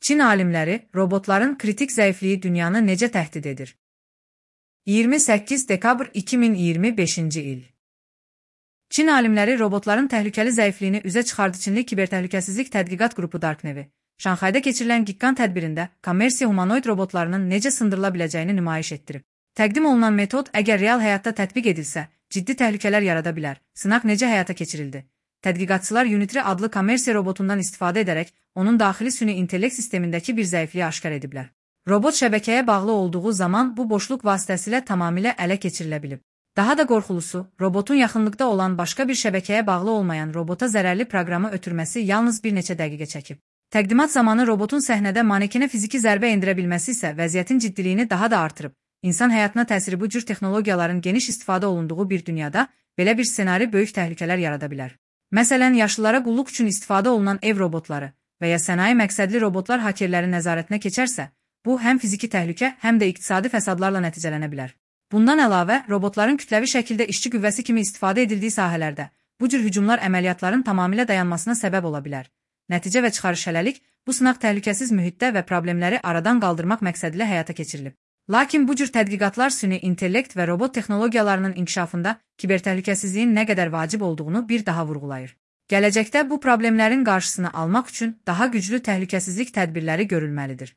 Çin alimləri robotların kritik zəifliyi dünyanı necə təhdid edir? 28 dekabr 2025-ci il. Çin alimləri robotların təhlükəli zəifliyini üzə çıxardı. Çinli kibertəhlükəsizlik tədqiqat qrupu Darknevi, Şanxayda keçirilən Gikkan tədbirində kommersiya humanoid robotlarının necə sındırıla biləcəyini nümayiş etdirib. Təqdim olunan metod əgər real həyatda tətbiq edilsə, ciddi təhlükələr yarada bilər. Sınaq necə həyata keçirildi? Tədqiqatçılar Unitri adlı kommersiya robotundan istifadə edərək onun daxili süni intellekt sistemindəki bir zəifliyi aşkar ediblər. Robot şəbəkəyə bağlı olduğu zaman bu boşluq vasitəsilə tamamilə ələ keçirilə bilib. Daha da qorxulusu, robotun yaxınlıqda olan başqa bir şəbəkəyə bağlı olmayan robota zərərli proqramı ötürməsi yalnız bir neçə dəqiqə çəkib. Təqdimat zamanı robotun səhnədə manekenə fiziki zərbə endirə bilməsi isə vəziyyətin ciddiliyini daha da artırıb. İnsan həyatına təsiri bu cür texnologiyaların geniş istifadə olunduğu bir dünyada belə bir ssenari böyük təhlükələr yarada bilər. Məsələn, yaşlılara qulluq üçün istifadə olunan ev robotları və ya sənaye məqsədli robotlar hakerlərin nəzarətinə keçərsə, bu həm fiziki təhlükə, həm də iqtisadi fəsadlarla nəticələnə bilər. Bundan əlavə, robotların kütləvi şəkildə işçi qüvvəsi kimi istifadə edildiyi sahələrdə bu cür hücumlar əməliyyatların tamamilə dayanmasına səbəb ola bilər. Nəticə və çıxarış hələlik bu sınaq təhlükəsiz mühitdə və problemləri aradan qaldırmaq məqsədilə həyata keçirilib. Lakin bu cür tədqiqatlar süni intellekt və robot texnologiyalarının inkişafında kibertəhlükəsizliyin nə qədər vacib olduğunu bir daha vurğulayır. Gələcəkdə bu problemlərin qarşısını almaq üçün daha güclü təhlükəsizlik tədbirləri görülməlidir.